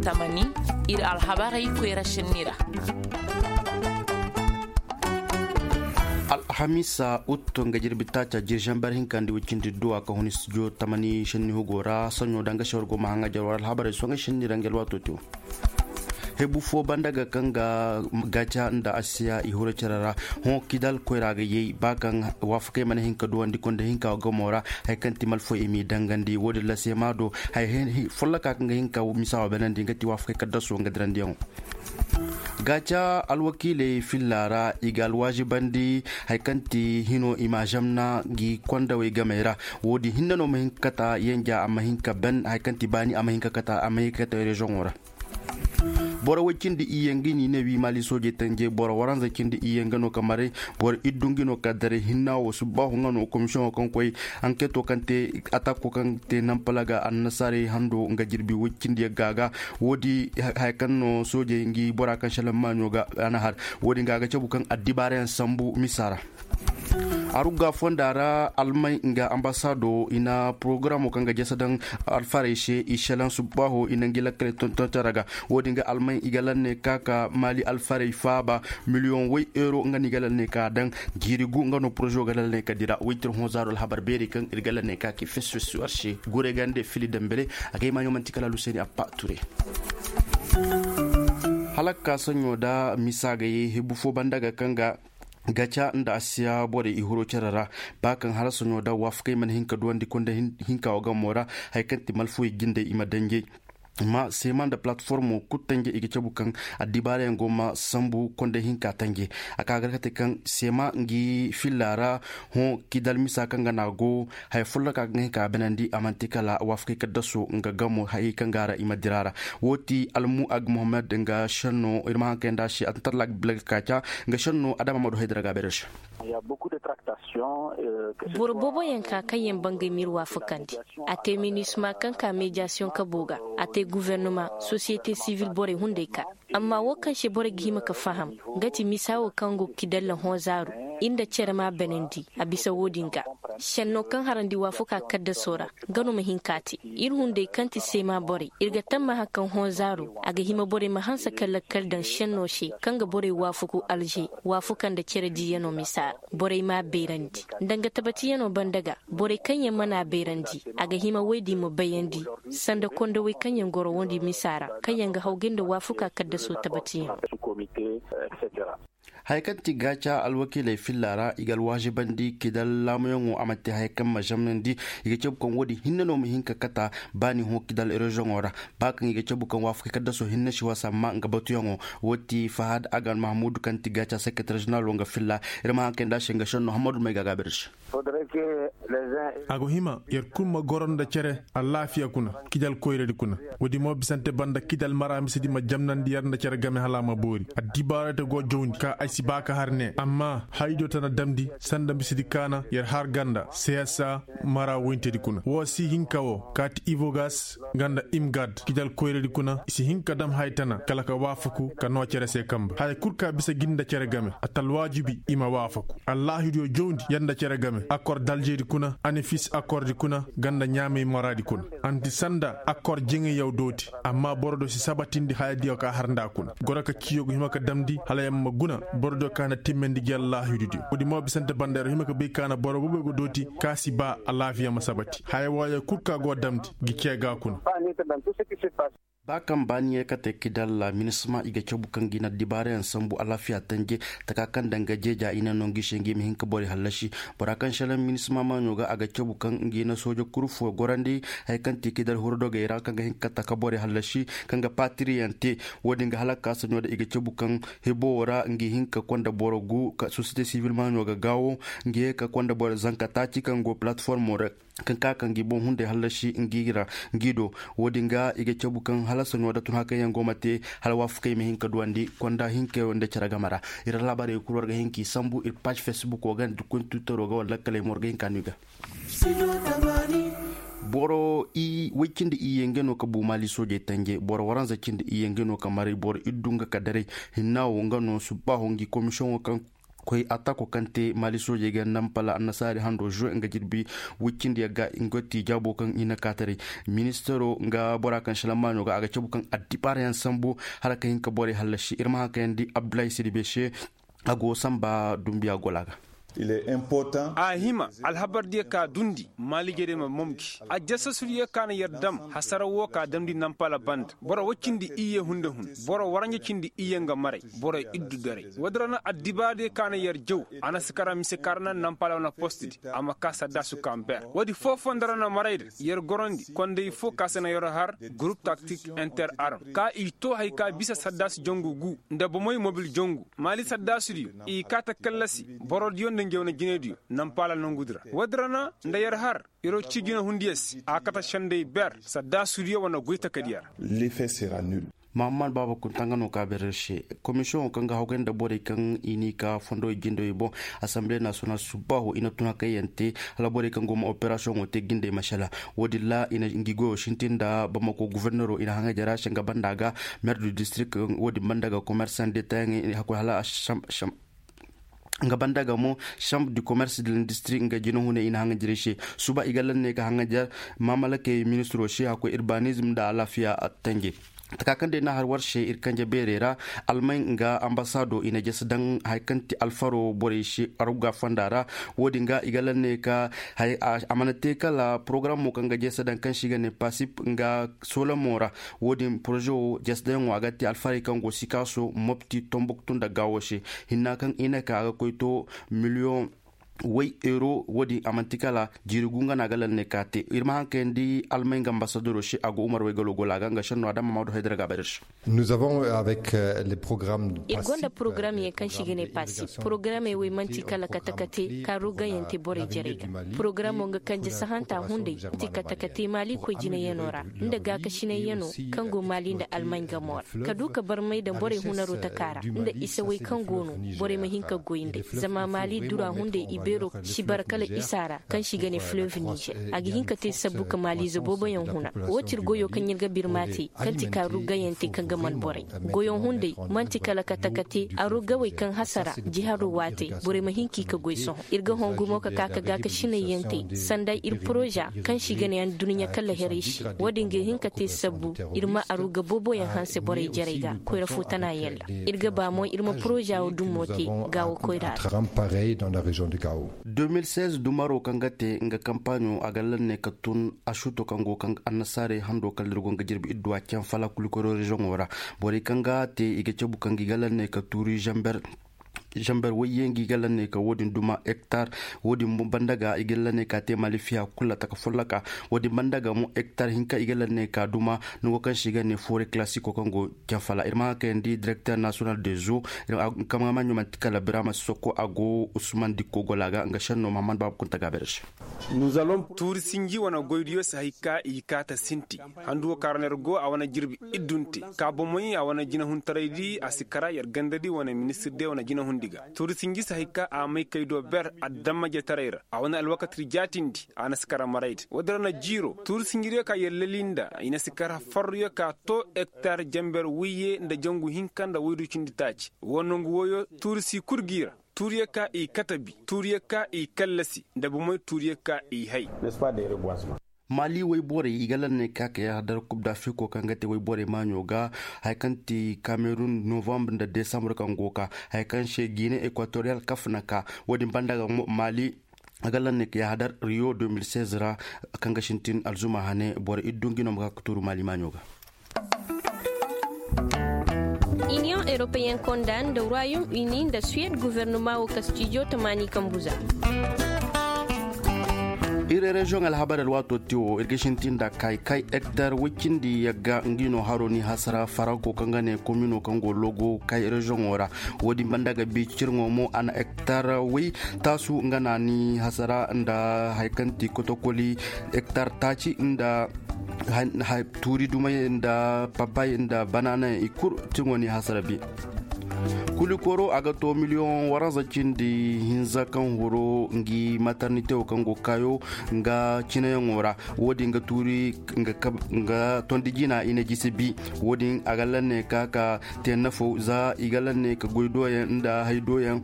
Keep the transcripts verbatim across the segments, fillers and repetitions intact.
Tamani, iri alhabarey koyra senni ra. Alhamiisa, utto nga jirbi taaca, jirjambar hinka nda wicindi duwa ka hun studio tamani senni hugo ra. Sanyo danga shawar goma hanga jarwar alhabarey songa senni ra nga alwato te. Hebu fo banda ga kaŋ ga gaca nda asiya i huro care ra. Hõ kidal koyra ga yay ba kaŋ waafakey mana hin ka duwandi konda hinka gamo ra. Hari kaŋ ti malfoy i m'i dangandi wo-din ra seema do. Hari follaka kaŋ ga hin ka misa wa banandi nga ti waafakey kaddaso nga dirandiyaŋo. Gaca alwakiiley filla ra i ga alwaazibandi hari kaŋ ti hino i ma zamna gi kondawey gamey ra. Wo-din hinne no ma hin ka kata yanja a ma hin ka ban hari kaŋ ti baani a ma hin ka kata a ma hin ka kata rezoŋo ra. Boro way cindi iyye nga ni ne wi maali soojey tanje boro waranza cindi iyye nga no ka maray. Boro iddu nga no ka daray hinna wo subbaahu nga no komisiyoŋo kaŋ koy ankeeto kaŋ te atako kaŋ te nampala ga annasaarey hando nga jirbi way cindi yagga ga. Wo-din haya kaŋ no soojey nga bora kaŋ selaŋ maaɲo ga a na har. Wo-din ga a ga cabu kaŋ addibaarayaŋ sambu misa ra. Arugga fonda ra almay nga ambasaado i na porogaramo kaŋ ga jasa daŋ alfarey se i selaŋ subbaaho i na ngi lakkale tonton care ga. Wo-din ga almay i ga lanne ka ka maali alfarey faaba miliyoŋ way euro nga no i ga lanne ka daŋ. Jiiri gu nga no porozo ga lanne ka dira waytir hõ zaaro alhabar beeri kaŋ iri ga lanne ka ki fes fes war se gure gande fili dambele. A ga ay maaɲo manti kala aluseeni appa ture. Hala ga ka saɲo da misa ga ye hebu fo banda ga kaŋ ga gaca nda asiya borey i huro care ra. Ba kaŋ hala soɲo da waafakey mana hin ka duwandi konda hinka wo gamo ra. Hari kaŋ ti malfoy jindey i ma danjey ma seema nda palatformo kulu tanje i ga cabu kaŋ addibaarayaŋ go ma sambu konda hinka tanje. A ka ga kate kaŋ seema ngi filla ra hõ kidal misa kaŋ ga na go haya folloka ga hin ka banandi a manti kala waafakey kaddaso nga gamo hayey kaŋ ga ra i ma dira ra. Wo ti almu ag mohammed nga senno iri ma haŋ kayanda se a tun talla ga bila ga kaaca. Nga senno adama ma du haydara ga beere se. Boro boobo yaŋ ka kaŋ yaŋ bangay m'iri waafakandi. A te minisma kaŋ ka mediyasiyoŋ kabo ga. A te guvernoma sosiyete sivil borey hunday ka. Amma wo kaŋ se borey ga hima ga faham nga ti misa wo kaŋ go ga kidalla hõ zaaru. Iri nda care ma banandi a bisa wo-din ga. Senno kaŋ harandi waafuka kaddaso ra nga no ma hin ka te. Iri hunday kaŋ ti seema borey iri ga tammaha kaŋ hõ zaaru a ga hima borey ma hanse ka lakkal daŋ senno se kaŋ ga borey waafuku alze. Waafuka nda care diiyano misa ra borey ma a beerandi. Nda nga tabatiyano banda ga borey kaŋ yaŋ mana a beerandi a ga hima woy din ma bayandi. Sanda kondawey kaŋ yaŋ goro wondi misa ra kaŋ yaŋ ga hawgay nda waafuka kaddaso tabatiyaŋo. Haya kaŋ ti gaaca alwakiiley filla ra i ga alwaazibandi kidal laamuyaŋo a manti haya kaŋ ma zamnandi. I ga cabu kaŋ wo-din hinne no ma hin ka kata baani hõ kidal rezoŋo ra. Ba kaŋ i ga cabu kaŋ waafakey kaddaso hinne si wasa ma nga batuyaŋo. Wo ti fahad agan mahamudu kaŋ ti gaaca sekretar zeneraalo nga filla. Iri ma haŋ kayndi a se nga senno hammadu may ga a gaabir se. A go hima yer kulu ma goro nda care alaafiya kuna. Kidal koyradi kuna. Woodi mo bisante banda kidal mara misedi ma jamnandi yer nda care game hala a ma boori addibaarayte go jawndi ka ay si ba ka har ne amma haydiyo tana damndi sanda misedi kaana yer har ganda seesa mara woyntedi kuna wo si hinka wo kaati ivogas nga nda imgad kidal koyradi kuna i si hin ka dam haya tana kala ka waafaku ka noo cere se kambe haya kulu ka bisa gin nda cere game a ta alwaajibi i ma waafaku allaahidiyo jawndi yer nda cere game akor daljeedi kuna anefis akordi kuna nga nda ɲaamey maraadi kuna anti sanda akor jeŋayyaw dooti amma borodiyo si sabatindi hayadiyo ka har nda kuna goro ka ciyo ga hima ka damndi hala yer ma guna borodiyo ka na timmandi gi allaahididiyo woodi mo bisante banda yer hima ka bay ka na boro boobo go dooti ka si ba alaafiya ma sabati haya wooyo kulu ka go damndi gi cee ga kuna. Ba kaŋ baani ye kate kidalla minisma i ga cabu kaŋ ga i na dibaarayaŋ sambu alaafiya tanje taka kaŋ danga jeeja i na no ngi se ngi ma hin ka borey hallasi. Bora kaŋ selaŋ minisma maaɲo ga a ga cabu kaŋ ngi na sooja kuru fo gorandi haya kaŋ ti kidal hurdogey ra kaŋ ga hin ka taka borey hallasi kaŋ ga paatiriyaŋ te. Woodin ga hala ka ka saɲo da i ga cabu kaŋ hebo wo ra ngi hin ka konda boro gu ka sosiyete sivil maaɲo ga gaawo ngi ye ka konda boro zanka taaci kaŋ go palatformo ra kaŋ ka ka ngi boŋ hunday hallasi ngi ra ngi do. Woodin ga i ga cabu kaŋ hala saɲo da tun hakayaŋ go ma te hala waafakey ma hin ka duwandi konda hinka yaŋ nda care game ra. Iri alhabarey kulu war ga hin k'i sambu iri paazi fesbuko ga nda kun twittero ga wala lakkaley mo war ga hin ka no i ga. Boro i way cindi iyye nga no ka bu maali soojey tanje boro waranza cindi iyye nga no ka maray boro iddu nga ka daray hinna wo nga no subbaaho ngi komisiyoŋo kaŋ Koy attako kaŋ te maali soojey ga nampala annasaari hando zo nga jirbi wicindi yagga nga ti jaabo kaŋ i na kaataray. Ministaro nga bora kaŋ silammaaɲo ga a ga cabu kaŋ addibaarayaŋ sambu hala ka hin ka borey hallasi iri ma haŋ kaŋ yaŋ di abdullahi sidi bese. A go samba dumbiya gola ga. A hima alhabar diya ka dundi maali jere ma momji a jasasuriya ka na yar dam hasara wo ka damndi nampala banda boro wacindi iyye hunde hun boro waranja cindi iyye nga maray. Boro iddu daray wadda ra na addibaade ka na yar jaw. A na si kara mise ka ra na nampala wane postidi a ma ka saddasu ka ma ber woodi foofondo ra na maray da yar gorondi konday fo ka si na yar har gurup taktik inter arm ka i to hari ka bisa saddasu jangu gu nda bomey mobil jangu maali saddasu diyo i ka ta kallasi boro diyo nda njaw na jinay diyo. Nampala nangu di ra wadda ra na nda yar har iro ci jina hundiya se a kate senday ber sadda suuriya wane goy takadiya ra. Mahamman baaba kunta nga no ka beerey se. Komisiyoŋo kaŋ ga hawgay nda borey kaŋ i n'i ka fondo i jindey boŋ. Assemble national subbaaho i na tun hakayyaŋ te hala borey kaŋ go ma operasiyoŋo te jindey masala. Wo- din ra i na ngi goyo sintin nda bamako gofornero i na haŋajer a se nga banda ga, maire du district wo- din banda ga commerçant detayaŋey hakkoy hala nga banda ga mo chambre du commerce de l'industrie nga jinahuney i na haŋajerey se. Suba i ga lanney ka haŋajer mamalakey ministiro se hakkoy urbanisme nda alaafiya tanje. Taka kaŋ day na har war se iri kanje beerey ra almay nga ambasado i na jese daŋ hari kaŋ ti alfaro borey se arugga fonda ra. Wo- din ga i ga lanney ka a mana te kala porogaramo kaŋ ga jese daŋ kaŋ se i ga ne pasip nga solamo ra. Wo- din poroze wo jese daŋyaŋo a ga te alfarey kaŋ go sikaaso mopti tombuktu nda gaawo se. Hinna kaŋ i na ka a ga koy to miliyoŋ way euro wo- din a manti kala jiiri gu nga no a ga lanney ka te. Iri ma haŋ kayandi almay nga ambasadoro se a go umar waygalo gola ga nga senno a daŋ mamadu haydara ga a bayra se. Iri gonda porogaram yaŋ kaŋ se i ga ne pasi porogaramey wo manti kala kate kate kaaru gayaŋ te borey jarey ga. Porogaramo nga kanje sahanta hunday manti kate kate maali koy jinayaŋo ra nda gaakasinayyaŋo kaŋ go maali nda almay gamo ra ka du ka barmay daŋ borey hunaro taka ra nda isa way kaŋ go no borey ma hin ka goy nd'ey. Zama maali dura hunday i beero si bara kala isa ra kaŋ se i ga ne fleuve niger a ga hin ka te sabbu ka maaliize booboyaŋ huna. Wo ti iri goyo kaŋ iri ga birma te kaŋ ti kaaru gayaŋ te kaŋ ga man borey goyo hunday manti kala kate kate arugawey kaŋ hasara jiharo waatey borey ma hin ka i ka goy sohõ. Iri ga hõ gumo ka ka ka gaakasinay yaŋ te sanda iri poroza kaŋ se i ga ne addunɲa kala heray se. Wo- din ga hin ka te sabbu iri ma aruga booboyaŋ hanse borey jarey ga koyra fo tana yaŋ ra. Iri ga ba mo iri ma poroza wo dumo te gaawo koyra ra. Deux mille seize dumaro kaŋ ga te nga kampaaɲo a ga lanney ka tun asuuto kaŋ go kaŋ annasaarey hando kala iri go nga jirbi idduwa caŋ fala kulukoro rezoŋo ra. Borey kaŋ ga te i ga cabu kaŋ ga i ga lanney ka tuuri zamber zamber wayye nga i ga lanney ka wo- din duma hektar. Wo- din banda ga i ga lanney ka te maali fiya kulu taka folloka. Wo- din banda ga mo hektar hinka i ga lanney ka duma nango kaŋ se i ga ne foore klasiko kaŋ go caŋ fala iri ma haŋ kayandi direkter nasiyonal de zo. Kama maɲo manti kala birama soko a go usman dikko gola ga nga senno mahammad baaba kunta gaabere se. Tuuri sinji wane goydiyo si hay ka i kaata sinti. Handu wo kaŋ ra no iri go a wane jirbi iddu nte ka bomoy a wane jinahuntaray di a si kara yer ganda di wane ministir de wane jinahundi ga. Tuuri sinji si hay ka a may kay do ber adamma jetaray ra a wane alwakati ri jaatindi. A na si kara maray da wo- din ra na jiiro tuuri sinjiriyo ka yer lali nda i na si kara farruyo ka to hektar jamber wiyye nda jangu hinka nda waydu cindi taaci. Wo nangu woyo tuuri si kulu g'i ra. Tuuriyo ka i katabi tuuriyo ka i kallasi nda bomoy tuuriyo ka i hay. Maali wayborey i ga lanney ka ka yahadar kub dafiriko kaŋ ga te wayborey maaɲo ga. Hari kaŋ ti kamerun novambre nda desambur kaŋ go ka hari kaŋ se gine ekwatoriyal kafna ka wo- din banda ga mo maali a ga lanney ka yahadar rio deux mille seize ra. Kaŋ ga sintin alzuma hane boro iddu nga no ma ka ka tuuru maali maaɲo ga. Iniyoŋ europeyen konda nda royaume uni nda suwed guvernuma wo kastijo tamaani kambuza. Iri reziyoŋ alhabar alwaato te wo iri ga sintin nda kay kay hektar way cindi yagga nga no haro ni hasara faranko kaŋ ga ne komino kaŋ go logo kay reziyoŋo ra. Wo- din banda ga bi cirŋo mo a na hektar way taasu nga na ni hasara nda hari kaŋ ti kotokoli hektar taaci nda tuuri dumay nda papay nda banana i kulu tiŋo ni hasara bi. Kulikoro a ga to miliyoŋ waranza cindi hinza kaŋ horo ngi maternité wo kaŋ go kaayo nga cinayaŋo ra. Wo- din ga tuuri nga tondi jina i na jisi bi. Wo- din a ga lanne ka ka te nafo za i ga lanne ka goy doyaŋ nda hay doyaŋ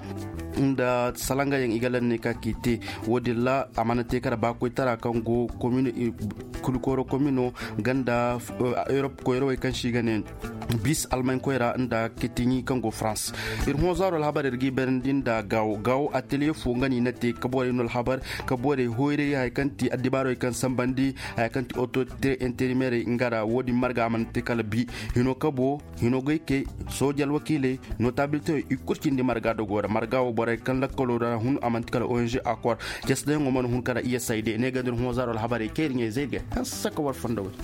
nda salanga yaŋ i ga lanne ka k'i te. Wo- din ra a mana te kala ba koytara kaŋ go komino, kulikoro komino ganda europe koyrawey kaŋ si ga ne bis almay koyra nda ketiɲi kaŋ go france. Iri hõ zaaro alhabar iri ga i bayrandi nda gaawo gaawo atelier fo nga no i na te ka borey no alhabar ka borey hoyray hari kaŋ ti addibaarey kaŋ sambandi hari kaŋ ti autorité intérimaire nga ra wo- din marga a mana te kala bi hino kabo hino goykey sooje alwakiiley notabilité i kulu cindi marga dogo ra marga wo borey kaŋ lakkalo ra hun a manti kala ong accord cesdayaŋo mana hun kala iya sayde ne ga nda iri hõ zaaro alhabarey kayri ɲey zay ga hanse ka war fondo wey.